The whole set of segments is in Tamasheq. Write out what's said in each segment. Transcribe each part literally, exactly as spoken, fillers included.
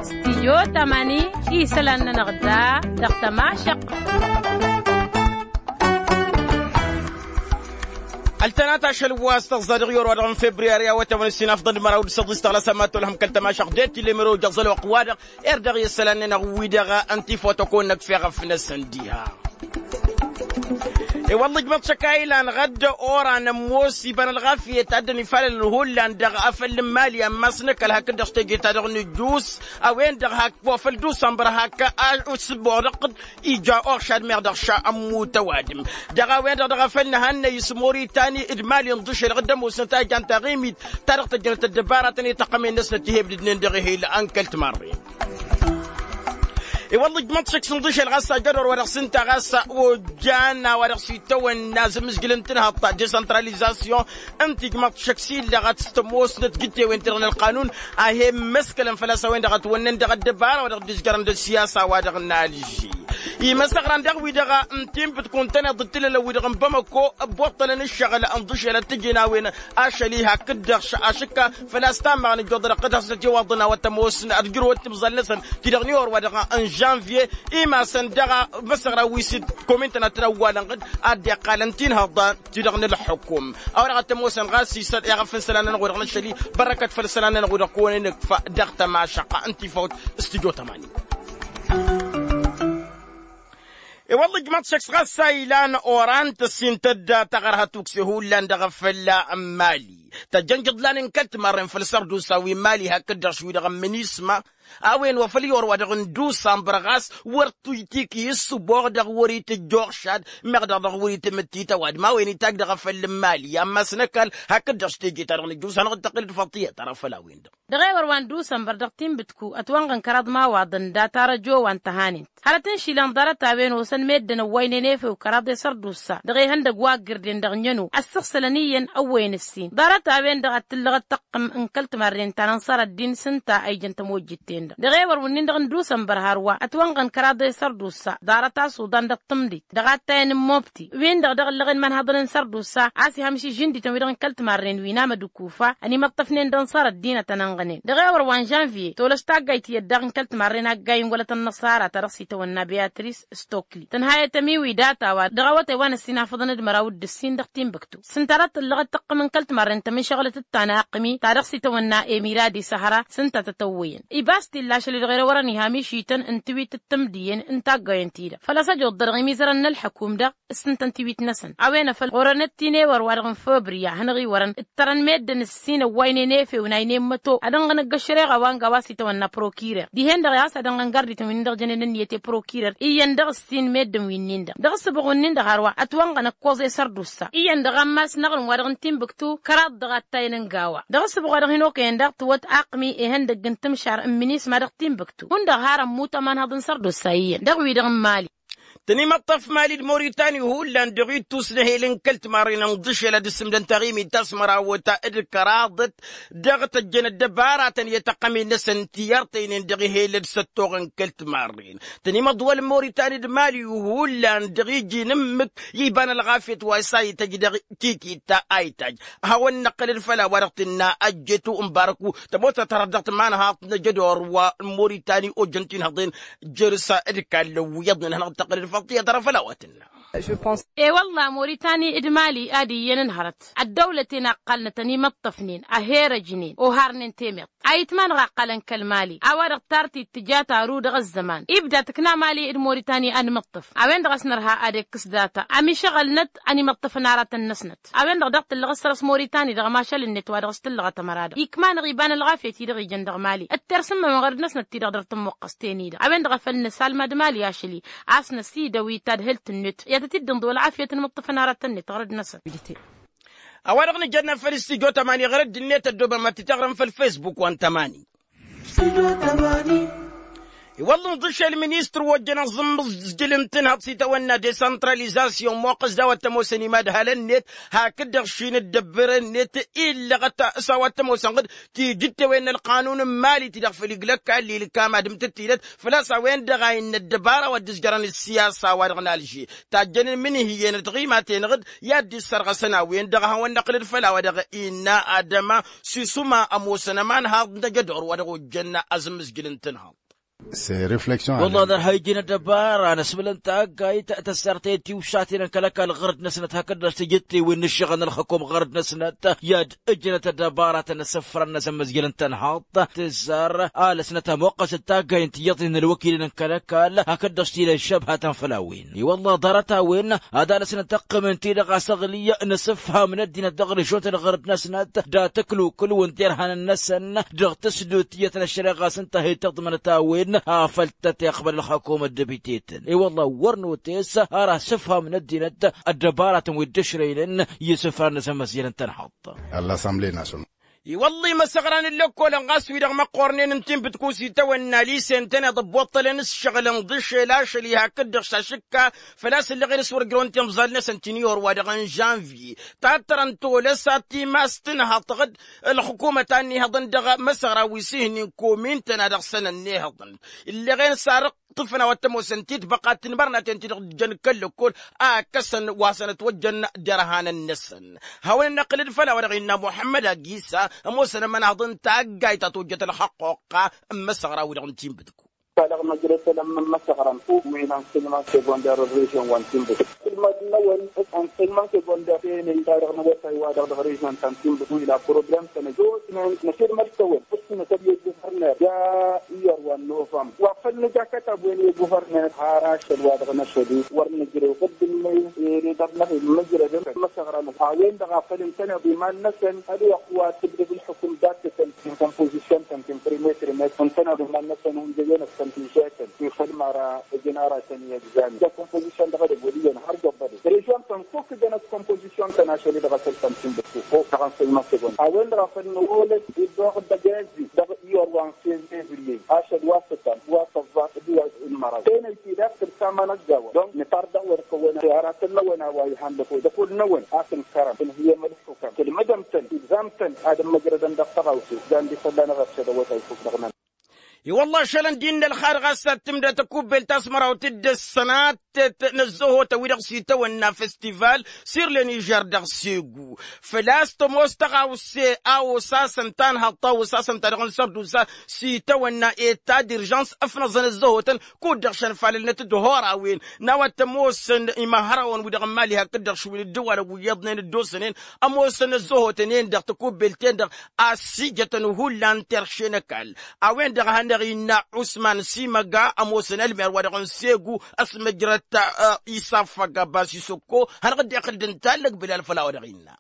Stidyo tamani, isălan-nănăɣ da dăɣ-tămašăq. Ăltănat ašăl wa s-tăẓẓa dăɣ-i or-wa-dăɣ n-febriyari a-wa t-awăn ǝssin afḍăn d-măraw d-săḍis tăɣlăs ămmat tolhăm kăl-tămašăq d-e-t ill'-e măraw d-ăẓălwăqq-wa-dăɣ. Erdăɣ i-isălan-nănăɣ wi-dăɣ ăntifotăkon năkf'-e ɣăf-năsăn diha. I-wălla ǝjmăḍ šăkka ilan ɣădd oran ămoos iba n-ălɣafyăt a dd-ănifalălăn hullan dăɣ-afăl n-imali ammas n-ăkall hakd-dăɣ s-teje-ta-dăɣ n-ǝjjuus a-wen-dăɣ hak wa făl dusănbăr hak a s-ǝbboɣ dăɣ-t ija oɣšad meɣ dăɣ-ša ămmut ăwadǝm. Dăɣ-a-wen-dăɣ dăɣ-afăl n-ehăn-năyy s-moritani d-mali ǝnḍǝšel ɣǝd ămoosnăt a jan taɣimit ta dăɣ-tăjjănăt ăddăbaratăn i-tăqqămen-năsnăt tihebdǝdnen dăɣ-ehel n-kăl-timarren. I-wălla ǝjmăḍ šăkk s-ǝnḍǝšel ɣas ajădor wa dăɣ-s ǝnta ɣas ojan a-wa dăɣ-s itawănna azǝmmǝzjǝl n-tinhăḍt ta desăntralizasyon ǝnta ijmăḍ šăkk s-illăɣăt s-tămoosnăt jǝttewen-ti-dăɣ n-ălqanun a he-immăskălăn făl-a-s a-wen-dăɣ ătwănnen dăɣ-ăddăbara wa dăɣ-dd-izjărăn d-ăssiyasa wa dăɣ-nalži. Imăsăɣran dăɣ-wi-dăɣ n-tinbǝtkun tăneḍ d-tilălăn-wi-dăɣ n-bamăko ăbboṭṭălăn ǝššăɣǝl ǝnḍǝšel ad-t-ǝjǝn a-wen ašăl-i hakd-dăɣ ašǝkka făl-a-s tammaɣăn ǝjjoḍăr ăqqǝd hasnăt iwaḍăn a-wa tămoosnăt ad-ǝjrǝwăt timẓal-năsăn ti-dăɣ n-iwăr wa-dăɣ n-žănvye. Imasăn daɣ imăsăɣra wi s-dd-komintăn ad-tăn-ăwwalăn ɣǝd ad-dd-iqqalăn tinhăḍt ti-dăɣ n-ălxukum a-wa-dăɣ ad-tămoosăn ɣas isălan iɣăf n-isălan-nănăɣ-wi-dăɣ n-ašăl-i. Bărăkăt făll-isălan-nănăɣ-wi-dăɣ kăwăn-inǝkfa dăɣ-tămašăqqa n-tifawt stujo tămani. I-wălla ǝjmăḍ šăkk s-ɣas a ilan oran tăssintăt d-taɣărhăt ukse hullan dăɣ-afălla n-mali tăjjăn jǝḍlan n-kăl-timarren făll-sărdusa wi n-mali hakd-dăɣ š-wi-dăɣ n-minisma. A-wen wa făl i-or-wa-dăɣ n-dusanbăr ɣas wăr t-tiki ǝssǝboɣ dăɣ-wăr-itǝjj oɣšad meɣ dăɣ-dăɣ wăr-itǝmǝttit ăwadǝm a-wen itajj dăɣ-afăl n-mali ammas n-ăkall hakd-dăɣ s-teje-ta-dăɣ n-ǝjjus hanăɣ-dd-tăqqǝl d-faṭiyăt ara făll-a-wen-dăɣ. Dăɣ-ewăr wa n-dusanbăr dăɣ-tinbǝtku ătwănɣăn kăraḍ imawaḍăn data răjo wa n-tăhanen hărăt n-išilan ḍarăt-a-wen osăn meddǝn ăwwăynen efew kăraḍ i-sărdusa dăɣ-ihăndăgg wa ăggirden dăɣ-năno ăssăɣsălăn iyyăn ăwwăyăn ǝssin ḍarăt-a-wen-dăɣ ad-tǝllăɣ d-tăqqǝm n-kăl-timarren ta n-ansărăddin s-ǝnta a ijăn tămojjit-ten-dăɣ. Dăɣ-ewăr wǝnnin-dăɣ n-dusanbăr hărwa ătwănɣăn kăraḍ i-sărdusa ḍarăt a suḍan dăɣ-tǝmdit dăɣ-attayăn n-mobti win-dăɣ dăɣ-ǝllăɣen imanhăḍăn n-sărdusa a-s ihăm išǝžžǝndităn wi-dăɣ n-kăl-timarren wi n-amădǝkufa ănimăṭṭăfnen d-ănṣăr ăddinăt ănănɣănen dăɣ-ewăr wa n-žănviye tolăs taggayt iyyăt daɣ n-kăl-timarren aggayen wăla tănnăṣara ta dăɣ-s itawănna beatris stokli tănhayăt ămiwi data-wa dăɣ-awătay wa n-ăssinafăḍăn d-măraw d-ǝssin dăɣ-tinbǝktu s-ǝnta a dăɣ-tǝllăɣăt tăqqǝm n-kăl-timarren tămǝnšăɣlăt d-tana ăqqǝmi ta dăɣ-s itawănna emiradi săhra s-ǝnta tătăwwăyăn ibas t-illa ašăl-i-dăɣ erăwărăn iham išităn n-tiwit d-tǝmdǝyăn n-taggayen-ti-dăɣ făl-a-s ăjoḍ-dăɣ imizărăn n-ălḥăkum-dăɣ s-ǝntăn tiwit-năsăn a-wen a făl ɣur-ănăt-t-in ewăr wa-dăɣ n-făbrǝya hanăɣ-iwărăn ǝttărăn meddǝn ǝssin ăwwaynen efew n-aynen măto ad-ănɣăn ăgg-ăššăreɣa wa n-gawa s-itawănna prokirer dihen-dăɣ i-a-s ad-ănɣăn gardităn wi-nin-dăɣ jănen ǝnniyăt i-prokirer iyyăn dăɣ-ǝssin meddǝn wi-nin-dăɣ dăɣ-ǝssǝbɣu-nin-dăɣ hărwa ătwănɣăn ăkkoẓ i-sărdusa iyyăn dăɣ-ammas n-aɣrǝm wa-dăɣ n-tinbǝktu kăraḍ dăɣ-attayăn n-gawa dăɣ-ǝssǝbɣu wa dăɣ-hin-okăyăn daɣ tǝwwăt aqmi ihăndăgg n-timšar n-minisma dăɣ-tinbǝktu hundăɣ har ămmut ămanhăḍ n-sărdusa iyyăn dăɣ-wi-dăɣ n-mali. Tăn-imăṭṭăf mali d-moritani hullan dăɣ-ittus n-ehel n-kăl-timarren ǝnḍǝšel ad-ǝssǝmdăn taɣimit ta s-mărawăt d-kăraḍăt dăɣ-tăjjăn ăddăbaratăn i-tăqqămen-năsăn ti ărtăynen dăɣ-ehel d-săttoɣ n-kăl-timarren tăn-imăḍwăl n-moritani d-mali hullan dăɣ-iji n-ǝmmǝk iba n-ălɣafyăt wa s-a ităjj dăɣ-tikit ta a itajj a hawăn-năqqălăd făll-a-wa-dăɣ tǝnna ăjjetu n-barăku tămoosăt hărăt dăɣ-timanhaḍt n-ajădor wa n-moritani ojăn tinhăḍen jăr-s d-kallăn wi iyyăḍnen hanăɣ-dd-tăqqălăd făll-tiyyăt ara făll-a-wa tǝnna. E-wălla moritani d-mali ad-iyyăn ǝnhărăt ăddăwlăten a ǝqqalnăt ănimăṭṭăfnen ăherăjnen oharnen temeḍt a itmanăɣ a ǝqqalăn kăl-mali a-wa-dăɣ tartit tǝja taru dăɣ-ăzzăman ibda tǝkna mali d-moritani ad-mǝṭṭăf a-wen-dăɣ a-s nărha ad-ikkǝs data ămišăɣălnăt ănimăṭṭăfăn aratăn-năsnăt a-wen-dăɣ daɣ tǝllăɣ ăssărăs moritani dăɣ-ămašăl-net wa dăɣ-s tǝllăɣăt ămăra-dăɣ ikmanăɣ iba n-ălɣafyăt-i-dăɣ ijăn dăɣ-mali ǝttersǝmmămăɣ ărăd-năsnăt-ti-dăɣ dăr-tămmuqqăst-ten-i-dăɣ a-wen-dăɣ a făl nǝsalmad mali ašăl-i a-s năsidăw itadhǝlt-net i-ad-tăt-dd-ǝnḍǝw ălɣafyăt n-imǝṭṭǝfăn aratăn-net ɣărăd-năsăn. A-wa-dăɣ nǝjănna făll-stujo tămani ɣărăd-net ăddoobăm ad-t-taɣrăm făll-facebook wa n-tămani. I-wălla ǝnḍǝšel ministăr wa ojjăn aẓǝmmǝẓjǝl n-tǝnhăḍt s-itawănna desantralizasyon moqqăs d-a-wa t-ămoosăn imadhal-net hakd-dăɣ šin dd-ăbbăre-net illăɣăt s-a-wa t-ămoosăn ɣǝd tijǝttewen n-ălqanun n-imali-ti-dăɣ făll-iglăkka ăllilkam ad-ǝmtǝttilăt făl-a-s a-wen-dăɣ a innă ăddăbara wa dd-ǝzjărăn ǝssiyasa-wa-dăɣ n-alže tajjăn n-imǝnhǝyăn dăɣ-imaten ɣǝd i-ad-dd-issărɣăsăn a-wen-dăɣ a hawăn-năqlǝd făll-a-wa dăɣ-innă adăma sisuma ămoosăn ămanhaḍ n-ajădor wa dăɣ-ojjăn azǝmmǝzjǝl n-tǝnhăḍt. Wălla dăr-ha ijăn ăddăbara n-asmǝlăn taggayt tăssartăyăt tiwšaten n-kăl-ăkall ɣărd-năsnăt hakd-dăɣ s-tijǝttewen n-ǝššăɣǝl n-ălxăkom ɣărd-năsnăt i-ad-ǝjnăt ăddăbaratăn n-asǝfran n-azămmăzjăl n-tănhaḍt tǝzzar alăsnăt ămoqqăs d-taggay n-tiyyăḍnen n-ălwăkilăn n-kăl-ăkall hakd-dăɣ s-tilăn šăbhatăn făll-a-wen. I-wălla ḍarăt-a-wen ad-alăsnăt ăqqǝmǝn-ti-dăɣ asăɣlǝy n-asǝfham n-ăddinăt dăɣ-režont n-ɣărd-năsnăt d-ad-tăklukǝl-wǝn derhanăn-năsăn dăɣ-tǝsdǝwt tiyyăt n-ăššăreɣa s-ǝnta a hi-tăḍmănăt a-wen afăl tăt-iqbăl ălxăkum ăddăbitetăn i-wălla wăr notes ar asǝfham n-ăddinăt ăddăbaratăn wi dd-ǝšrăynen i-isǝfran n-asămmăsjăl n-tănhăḍt. I-wălla imăsăɣra n-ǝllăkkolăn ɣas wi-dăɣ măqqornen n-tinbǝtku s-itawănna lise ǝntăneḍ ăbboṭṭălăn s-šăɣǝlăn d-ašăl ašăl-i hakd-dăɣ s-ašǝkka făl-a-s ǝllăɣen s-wăr ǝjrăwăn timẓal-năsăn ti n-iyor wa dăɣ-n žănvye tattărăn tolăsa timas tǝnhăḍ tăɣ-dd ălxǝkumăt a ǝnnihăḍăn dăɣ-măsăɣra wi s-ihǝnnin komin-tăn a dăɣ-săn ănnihăḍăn ǝlleɣen s-arǝɣ tǝfna wa t-ămoosăn titbăqa tǝnmărnaten ti-dăɣ dd-jăn kăl-lăkkol a ǝkkăsăn wa săn ătwăjjăn derhanăn-năsăn. Hawăn-năqqǝlăd făll-a-wa-dăɣ innă muḥămmăd agisa ămoosăn ămănaḍ n-taggayt ta tojjăt ălxăqqoqqa n-imăsăɣra-wi-dăɣ n-tinbǝtku. Talăɣ măjrăd tălăm n-imăsăɣra n-fuk wi n-ansăyman segonder n-režion wa n-tinbǝtku tǝlmăd-năwăn ansăyman segonder tenăy ta dăɣ-năwătay wa dăɣ-dăɣ režion ta n-tinbǝtku ila problem-tăn ăjjootnen năšălmăd-tăwăn ǝssinăt ălwăjj guvărner ja iyyăr wa n-novămb wa făl nǝja kătab-wen i-guvărner har ašăl wa dăɣ-năšăl-i wăr nǝjrew ɣǝddǝnnăy ere dăr-năɣ-i n-măjrădăn măsăɣrăn a-wen-dăɣ a făl ǝntăneḍ iman-năsăn ălwăqq wa tǝbdăd ǝlxǝkǝm dattătăn ti n-kompozisyăn-tăn ti n-primetri-net ǝntăneḍ iman-năsăn hunjăyăn-ăssăn tišetăn ti făll-măra ǝjǝn aratăn i-egzamin ja kompozisyăn dăɣ-edăgg wăl' iyyăn har jăbbădăd režion-tăn fok ǝjănăt kompozisyăn-tăn ašăl-i dăɣ-asăl-tăn tinbǝtku fok dăɣ-ansăyman segonder a-wen-dăɣ a făl nǝwolăd iddoɣ dăgg-ezi dăɣ-iyyăr wa n-fevriye ašăl wa s-ătam wa s-ăẓẓaɣ d-wa n-măraw tenăy-ti daɣ tǝrsa ma n-ăgg-a-wa donc nǝtar dăɣ-wăr kăwăn aratăn-năwăn a-wa ihan dăɣ-wăl-năwăn a s-ǝnkărăm tǝnhǝyăm ǝlxukăm tǝlmǝdăm-tăn tǝbzam-tăn ad-ămmăjrădăn dăɣ-tăɣawse jan d-isălla n-aɣărsăd awătay fuk dăɣ-nănăɣ. I-wălla ašălăn d-innă ălxar ɣas ad-tǝmdăt ăkubbelt ta s-măraw tǝddǝs sănattet n-ăzzăhotăn wi-dăɣ s-itawănna festival s-irlen ižer dăɣ-segu făl-a-s tămoos tăɣawse a osasăn tanhăḍt ta osasăn ta dăɣ-n sărdusa s-itawănna eta d-irjans ăfnăẓăn ăzzăhotăn kud-dăɣ šănfalălnăt d-hor-a-wen n-a-wa t-ămoosăn imăhărăwăn wi-dăɣ n-imali hakd-dăɣ šwǝl dd-ăwwalăg wi iyyăḍnen dd-osănen ămoosăn ăzzăhotăn-en-dăɣ tăkubbelt-en-dăɣ a ăssijătăn hullan terše n-ăkall a-wen-dăɣ a hanăɣ-innă usman simăga ămoosăn ălmer wa dăɣ-n segu ăsmăjrăt isafăg abbas isăkko hanăɣ-dd-iqqǝl d-ǝntallăg bilal făll-a-wa dăɣ-innă.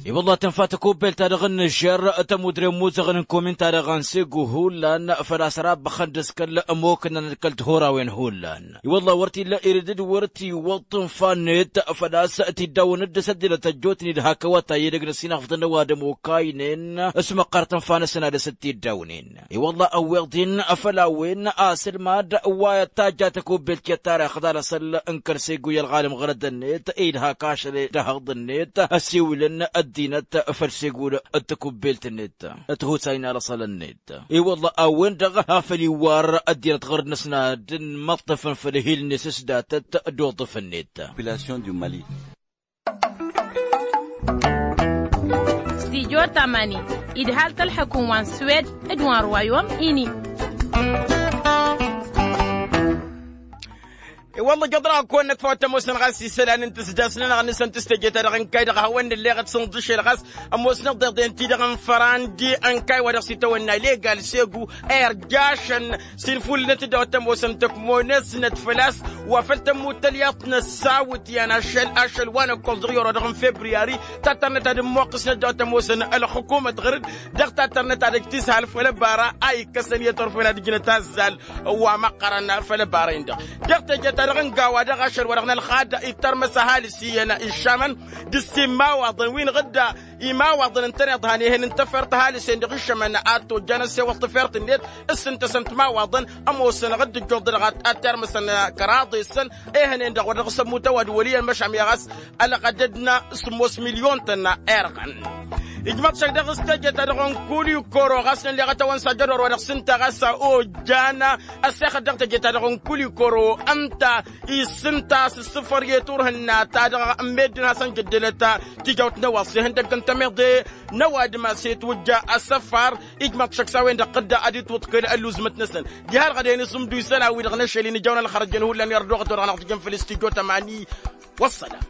I-wălla tǝnfa tăkubbelt-ta-dăɣ n-nǝžžer tămudre n-imuzăɣăn n-komin-ta-dăɣ n-segu hullan făl-a-s rabbăxăn d-askăl ămoknăn d-kăl-tihurawen hullan. I-wălla wăr t-illa iridǝd wăr t-iwwăḍ tǝnfa-net făl-a-s tiddawăn dd-săddinăt ăjjootnen d-hak ăwătay edăgg n-ăsinăɣfăḍăn n-ăwadǝm okaynen s-măqqărăt tǝnfa-năsăn ad-dăr-s dd-tiddawnen. I-wălla ăwweḍ-in făll-a-wen asǝlmad wa tajja tăkubbelt i-ăttarix d-alăsăl n-kăl-segu i-ălɣalăm ɣărăd-net idha kašăl d-ehăḍ-net ăsiwǝlăn ăddinăt făll-segu d-tăkubbelt-net. Tihusay n-alăsăl-net i-wălla a-wen-dăɣ a făl-iwwar ăddinăt ɣărăd-năsnăt d-inmăṭṭăfăn făll-ehil-net s-datăt d-oḍǝf-net. Stijo tamani idhal tălxăkun wa n-swed d-wa n-rwayom ini. I-wălla jăḍra kăwăn-nătfăw ad-t-ămoosăn ɣas isălan n-tǝsdasnănăɣ n-asăn tǝstăje-ta-dăɣ n-kayy-dăɣ a hawăn-nǝlleɣăt s-ǝnḍǝšel ɣas ămoosnăɣ deḍen-ti-dăɣ n-fărandi n-kayy wa dăɣ-s itawănna legal segu irjašăn s-infulǝlnăt-dd a-wa t-ămoosăn tăkmonăsnăt făl-a-s wa făl tămmut tălyaḍt n-ăssawǝtyan ašăl ašăl wa n-ăkkoẓ dăɣ-iyor wa dăɣ-n febriyari tattărnăt ad-ǝmmoqqǝsnăt d-a-wa t-ămoosăn ălxukumăt ɣăr-dd dăɣ-tattărnăt ad-ăj tǝshal făll-ăbara a ikkăsăn i-ătorfen ad-ǝjnăt azzal wa măqqărăn făll-ăbara-in-dăɣ. Dăɣ-teje ta Ănga wa-dăɣ ašăl wa-dăɣ n-ălxad ittărmăs ăhalǝs iyyăn iššamăn d-ǝssin imawaḍăn wi n-iɣǝdda imawaḍăn ǝntăneḍ han ehăn n-tefert ăhalǝs-en-dăɣ iššămăn ad-tojjan ăssewăḍ tefert-net. S-ǝnta-săn timawaḍăn ămoosăn ɣǝdd ǝjjuḍ-dăɣ ad-tirmǝsăn kăraḍe-săn ehăn-en-dăɣ wăr dăɣ-s ămmut ăwadǝm wăl' iyyăn măšan meɣ a-s ălɣădăd n-sǝmmos milyon-tăn irɣăn. Ijmăḍ šăk dăɣ-s teje-ta-dăɣ n-kulikoro ɣas n-ălleɣăt a-wen s-ajădor wa dăɣ-s ǝnta ɣas ojjan ăssexăt dăɣ-teje-ta-dăɣ n-kulikoro ǝnta. Issǝnta s-ǝssǝfăr i-turhǝnna-ta-dăɣ n-meddǝn hasăn jăddălăt tijawt n-ăwaḍ s-ihăndăgg n-tămiḍe n-ăwadǝm a-s itwǝjja asăfar. Ijmăḍ šăkk s-a-wen-dăɣ tǝdda ad-itwǝḍkǝl ălluẓmăt-năsăn diha ălɣădăyăn isǝmdu isălan-wi-dăɣ n-ašăl-in ǝjăwăn ălxărăjăn hullan irduɣăt-wa-dăɣ n-aɣ tǝjǝn făll-studyo tămani. Wăssălam.